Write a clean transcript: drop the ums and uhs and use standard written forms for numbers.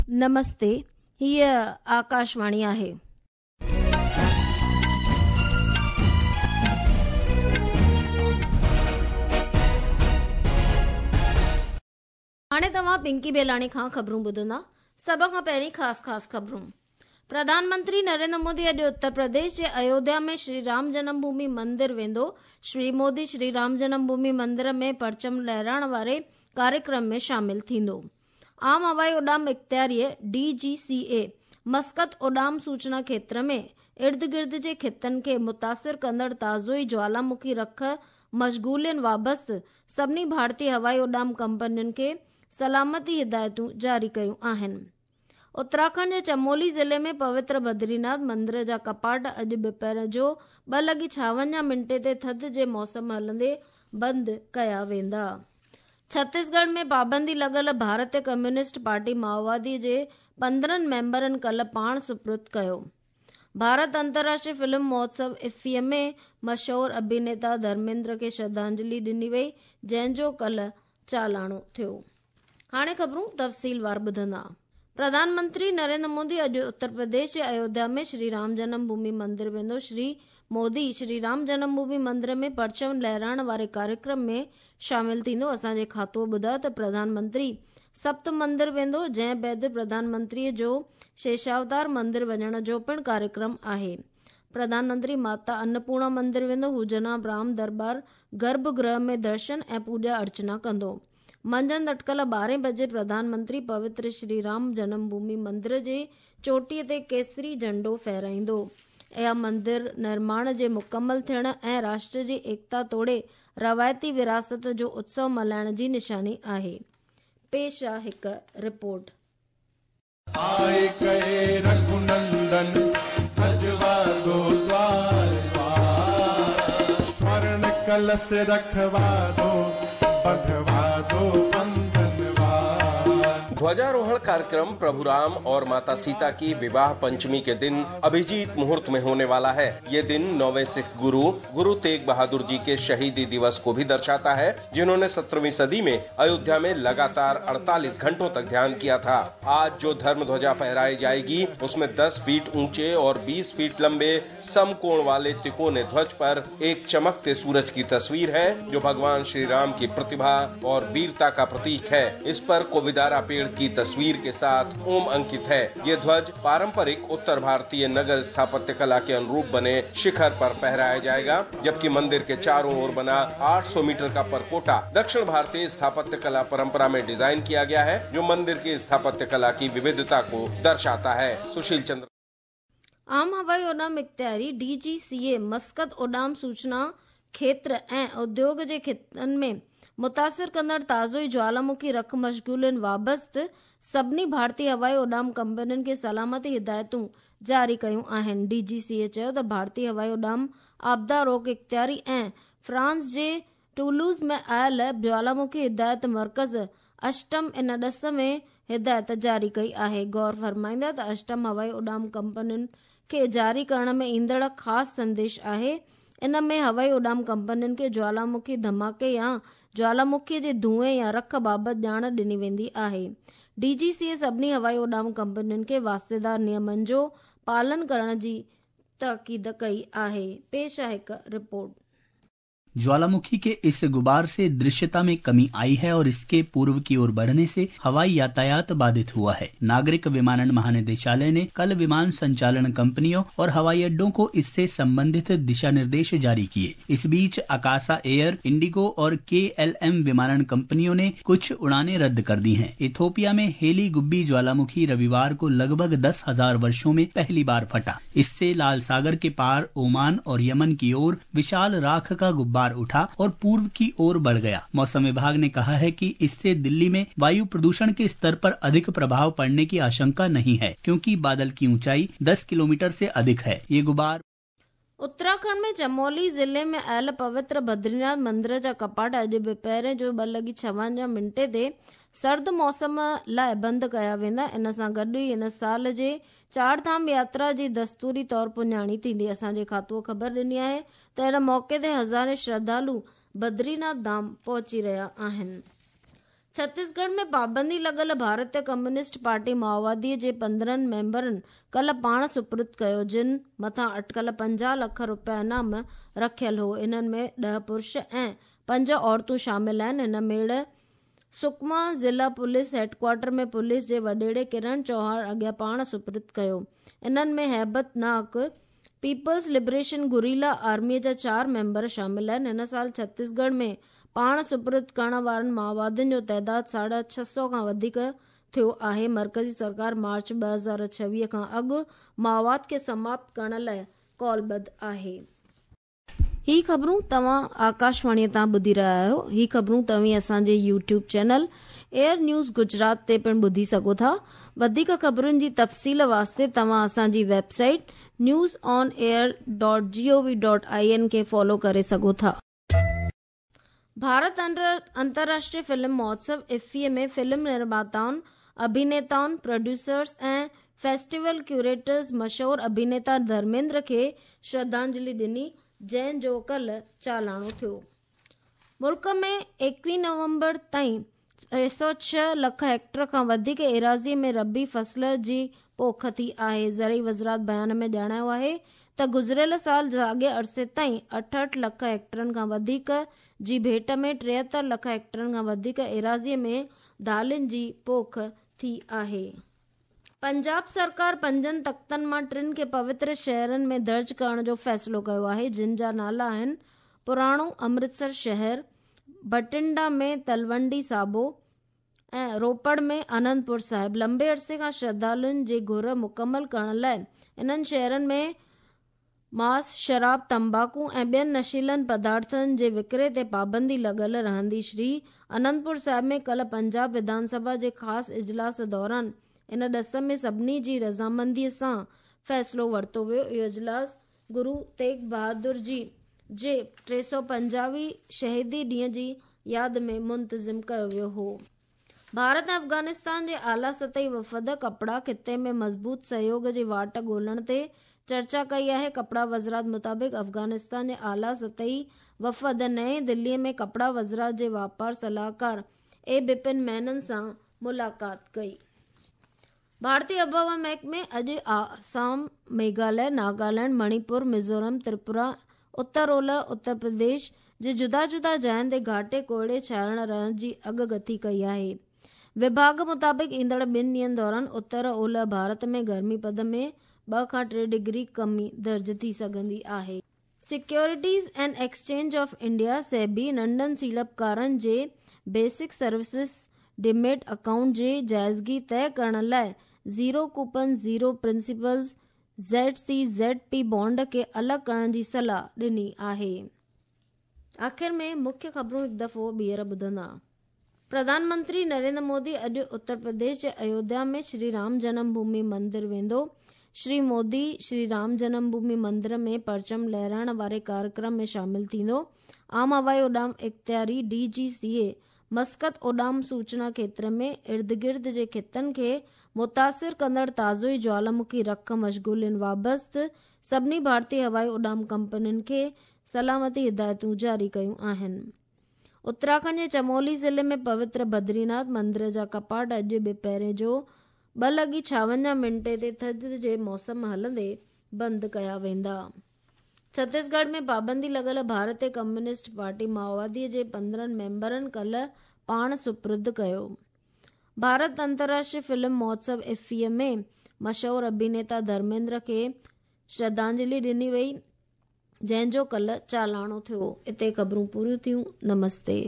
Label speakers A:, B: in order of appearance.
A: نمستي، هيء آڪاشواڻي آهي. هاڻي توهان پنڪي بيلاڻي کان خبرون ٻڌندا. سڀ کان پهرين خاص خاص خبرون. پرڌان منتري نريندر مودي اڄ اتر پرديش جي ايوڌيا ۾ شري رام جنم ڀومي مندر ويندو. شري مودي شري رام جنم ڀومي مندر ۾ پرچم لهرائڻ واري ڪاريڪرم ۾ شامل ٿيندو. عام هوائي اڏام اختياريء، ڊي جي سي اي، مسقط اڏام سوچنا کيتر ۾ اردگرد جي خطن کي متاثر ڪندڙ تازو ئي جوالامکي رک مشغولين وابسته سڀني ڀارتي هوائي اڏام ڪمپنين کي سلامتي هدايتون جاري ڪيون آهن. اتراکنڊ جي چمولي ضلعي ۾ پوتر بدريناٿ مندر جا ڪپاٽ اڄ ٻپهر جو ٻه لڳي ڇاونجاهه منٽي تي ٿڌ جي موسم هلندي بند ڪيا ويندا. ڇتيسڳڙهه ۾ پابندي لڳل ڀارتي ڪميونسٽ پارٽي مائووادي جي 15 ميمبرن ڪلهه پاڻ سپرد ڪيو. ڀارت انترراشٽري فلم مهوتسو افي ۾ مشهور اڀينيتا ڌرميندر کي شرڌانجلي ڏني وئي جنهن جو ڪلهه چالاڻو ٿيو. هاڻي خبرون تفصيلوار ٻڌندا. پرڌان منتري نريندر مودي اڄ اتر پرديش جي ايوڌيا ۾ شري رام جنم ڀومي مندر ويندو. شري مودي شري رام جنم ڀومي مندر ۾ پرچم لهرائڻ واري ڪاريڪرم ۾ شامل ٿيندو. اسان جي کاتوء ٻڌايو ته پرڌان منتري سپت مندر ويندو، جنهن بعد پرڌان منتري جو شيشاوتار مندر وڃڻ جو پڻ ڪاريڪرم آهي. پرڌان منتري ماتا انپورڻا مندر ويندو، هو جناب رام درٻار گرڀ گرهه ۾ درشن ۽ پوڄا ارچنا ڪندو. منجهند اٽڪل ٻارهين بجي پرڌان منتري پوتر شري رام جنم ڀومي مندر جي چوٽيء تي ڪيسري جهنڊو ڦهرائيندو. اها مندر نرماڻ جي مڪمل ٿيڻ ۽ راشٽر جي ايڪتا توڙي روايتي وراثت جو اتسو ملهائڻ جي نشاني آهي. پيش آ هڪ رپورٽ.
B: آئي ڪهي رگهونندن سجوا دو دوار دوار سورڻ ڪلس رکوا دو بنڌوا دو بنڌنوار.
C: ध्वजारोहण कार्यक्रम प्रभु राम और माता सीता की विवाह पंचमी के दिन अभिजीत मुहूर्त में होने वाला है। ये दिन नौवें सिख गुरु गुरु तेग बहादुर जी के शहीदी दिवस को भी दर्शाता है, जिन्होंने 17वीं सदी में अयोध्या में लगातार 48 घंटों तक ध्यान किया था। आज जो धर्म ध्वजा फहराई जाएगी उसमें 10 फीट ऊंचे और 20 फीट लंबे समकोण वाले तिकोने ध्वज पर एक चमकते सूरज की तस्वीर है, जो भगवान श्री राम की प्रतिभा और वीरता का प्रतीक है। इस पर कोविदारा पेड़ की तस्वीर के साथ ओम अंकित है। ये ध्वज पारंपरिक उत्तर भारतीय नगर स्थापत्य कला के अनुरूप बने शिखर पर फहराया जाएगा, जबकि मंदिर के चारों ओर बना 800 मीटर का परकोटा दक्षिण भारतीय स्थापत्य कला परंपरा में डिजाइन किया गया है, जो मंदिर की स्थापत्य कला की विविधता को दर्शाता है। सुशील चंद्र।
A: आम हवाई उڏام اختياري ڊي جي سي اي مسقط اڏام سوچنا کيتر ۽ اديوگ جي خطن ۾ متاثر ڪندڙ تازو ئي جوالامکي رک مشغولين وابسته سڀني ڀارتي هوائي اڏام ڪمپنين کي سلامتي هدايتون جاري ڪيون آهن. ڊي جي سي اي چيو ته ڀارتي هوائي اڏام آپدا روڪ اختياري ۽ فرانس جي ٽولوز ۾ آيل جوالامکي هدايت مرڪز اشٽم ان ڏس ۾ هدايت جاري ڪئي آهي. غور فرمائيندا ته اشٽم هوائي اڏام ڪمپنين کي جاري ڪرڻ ۾ ايندڙ خاص سنديش آهي. ان ۾ هوائي اڏام ڪمپنين کي جوالامکي ڌماڪي يا جوالامکي جي ڌوئين يا رک بابت ڄاڻ ڏني ويندي آهي. ڊي جي سي اي سڀني هوائي اڏام ڪمپنين کي واسطيدار نيمن جو پالن ڪرڻ جي تاڪيد ڪئي آهي. پيش آهي هڪ رپورٽ.
D: ज्वालामुखी के इस गुबार से दृश्यता में कमी आई है और इसके पूर्व की ओर बढ़ने से हवाई यातायात बाधित हुआ है। नागरिक विमानन महानिदेशालय ने कल विमान संचालन कंपनियों और हवाई अड्डों को इससे संबंधित दिशा निर्देश जारी किए। इस बीच अकासा एयर, इंडिगो और केएलएम विमानन कंपनियों ने कुछ उड़ानें रद्द कर दी हैं। इथोपिया में हेली गुब्बी ज्वालामुखी रविवार को लगभग 10,000 वर्षों में पहली बार फटा। इससे लाल सागर के पार ओमान और यमन की ओर विशाल राख का गुब्बार उठा और पूर्व की ओर बढ़ गया। मौसम विभाग ने कहा है कि इससे दिल्ली में वायु प्रदूषण के स्तर पर अधिक प्रभाव पड़ने की आशंका नहीं है, क्योंकि बादल की ऊंचाई 10 किलोमीटर से अधिक है। ये गुबार
A: उत्तराखंड में चमोली ज़िले में आयल पवित्र बद्रीनाथ मंदिर जा कपाट अॼु ॿिपहर जो ॿ लॻी ڇاونجاهه منٽي تي سرد موسم لاءِ بند ڪيا ويندا. ان سان گڏ ئي هن سال جي چار ڌام ياترا جي دستوري طور پڄاڻي ٿيندي. اسان جي کاتوءَ خبر ڏني آهي ته ان موقعي تي هزارين شرڌالو بدريناٿ ڌام پهچي رهيا آهن. ڇتيسڳڙهه ۾ پابندي لڳل ڀارتيه ڪميونسٽ پارٽي مائووادي جي 15 ميمبرن ڪالهه پاڻ سپرد ڪيو، جن مٿان اٽڪل 50 لک رپيا انعام رکيل هو. انهن ۾ 10 پرش ۽ 5 عورتون شامل آهن. هن ميڙ سڪما ضلع پوليس هيڊڪوارٽر ۾ پوليس جي وڏيري ڪرڻ چوهاڻ اڳيان پاڻ سپرد ڪيو. انهن ۾ هيبت ناڪ پيپلز لبريشن گوريلا آرمي جا 4 ميمبر شامل آهن. هن سال ڇتيسڳڙهه ۾ پاڻ سپرد ڪرڻ وارن مائووادين جو تعداد 650 کان وڌيڪ ٿيو آهي. مرڪزي سرڪار مارچ 2026 کان اڳ مائوواد کي سماپت ڪرڻ لاء قولبڌ آهي. هي خبرون توهان آڪاشواڻي تان ٻڌي رهيا آهيو. هي خبرون توهين اسان جي YouTube channel air news Gujarat تي پڻ ٻڌي سگهو ٿا. وڌيڪ خبرن جي تفصيل واسطي توهان اسان جي website news on air dot G O V dot I N کي فالو ڪري سگهو ٿا. ڀارت انترراشٽريه فلم مهوتسو افي ۾ فلم نرماتائن، اڀينيتائن، پروڊيوسرز ۽ فيسٽيول ڪيوريٽرز مشهور اڀينيتا ڌرميندر کي شرڌانجلي ڏني، جنهن جو ڪالهه چالاڻو ٿيو. ملڪ ۾ 21 نومبر تائين 306 لک هيڪٽر کان وڌيڪ ايراضي ۾ ربيع فصل جي پوک ٿي آهي. زرعي وزارت بيان ۾ ڄاڻايو آهي ته گذريل سال ساڳئي عرصي تائين 68 لک هيڪٽرن کان وڌيڪ جي ڀيٽ ۾ 73 لک هيڪٽرن کان وڌيڪ ايراضي ۾ دالين جي پوک ٿي آهي. پنجاب سرڪار پنجن تختن مان ٽن کي پوتر شهرن ۾ درج ڪرڻ جو فيصلو ڪيو آهي، جن جا نالا آهن پراڻو امرتسر شهر، بٺنڊا ۾ تلونڊي سابو ۽ روپڙ ۾ آنندپور صاحب. لمبي عرصي کان شرڌالن جي گهر مڪمل ڪرڻ لاء انهن شهرن ۾ ماس، شراب، تمباڪو ۽ ٻين نشيلن پدارٿن جي وڪري تي پابندي لڳل رهندي. شري آنندپور صاحب ۾ ڪالهه پنجاب وڌان سڀا جي خاص اجلاس دوران ان ڏس ۾ سڀني جي رضامندي سان فيصلو ورتو ويو. اهو اجلاس گرو تيغ بهادر جي جي 350 هين شهيدي ڏينهن جي ياد ۾ منتظم ڪيو ويو هو. ڀارت ۽ افغانستان جي اعليٰ سطحي وفد ڪپڙا خطي ۾ مضبوط سهيوڳ جي واٽ ڳولڻ تي چرچا ڪئي آهي. ڪپڙا وزارت مطابق افغانستان جي اعليٰ سطحي وفد نئين دهلي ۾ ڪپڙا وزارت جي واپار صلاحڪار اي بپن مينن سان ملاقات ڪئي. ڀارتي آبهوا محڪمي اڄ آسام، ميگهاليه، ناگالينڊ، مڻيپور، ميزورم، تريپورا، اتر اولهه اتر پرديش جي جدا جدا جاين تي گهاٽي ڪوهيڙي ڇانيل رهڻ جي اڳڪٿي ڪئي آهي. وڀاڳ مطابق ايندڙ ٻن ڏينهن دوران اتر اولهه ڀارت ۾ گرمي پد ۾ 2 کان 3 ڊگري ڪمي درج ٿي سگهندي آهي. Securities and exchange of India, SEBI, ننڍن سيڙپڪارن جي بيسڪ سروسز ڊيميٽ اڪائونٽ جي جائزگي طئي ڪرڻ لاء zero coupon zero principals, Z C Z P, bond کي الڳ ڪرڻ جي صلاح ڏني آهي. آخر ۾ مکيه خبرون هڪ دفعو ٻيهر ٻڌندا. پرڌان منتري نريندر مودي اڄ اتر پرديش جي ايوڌيا ۾ شري رام جنم ڀومي مندر ويندو. شري مودي شري رام جنم ڀومي مندر ۾ پرچم لهرائڻ واري ڪاريڪرم ۾ شامل ٿيندو. عام هوائي اڏام اختياري، ڊي جي سي اي، مسقط اڏام سوچنا کيتر ۾ اردگرد جي خطن کي متاثر ڪندڙ تازو ئي جوالامکي رک مشغولين وابسته سڀني ڀارتي هوائي اڏام ڪمپنين کي سلامتي هدايتون جاري ڪيون آهن. اتراکنڊ جي چمولي ضلعي ۾ پوتر بدريناٿ مندر جا ڪپاٽ اڄ ٻپهرين جو 2:56 منٽي تي ٿڌ جي موسم هلندي بند ڪيا ويندا. ڇتيسڳڙهه ۾ پابندي لڳل ڀارتي ڪميونسٽ پارٽي مائووادي جي 15 ميمبرن ڪالهه پاڻ سپرد ڪيو. ڀارت انترراشٽريه فلم مهوتسو افي ۾ مشهور اڀينيتا ڌرميندر کي شرڌانجلي ڏني وئي. جنهن جو ڪالهه چالاڻو ٿيو. اتي خبرون پوريون ٿيون. نمستي.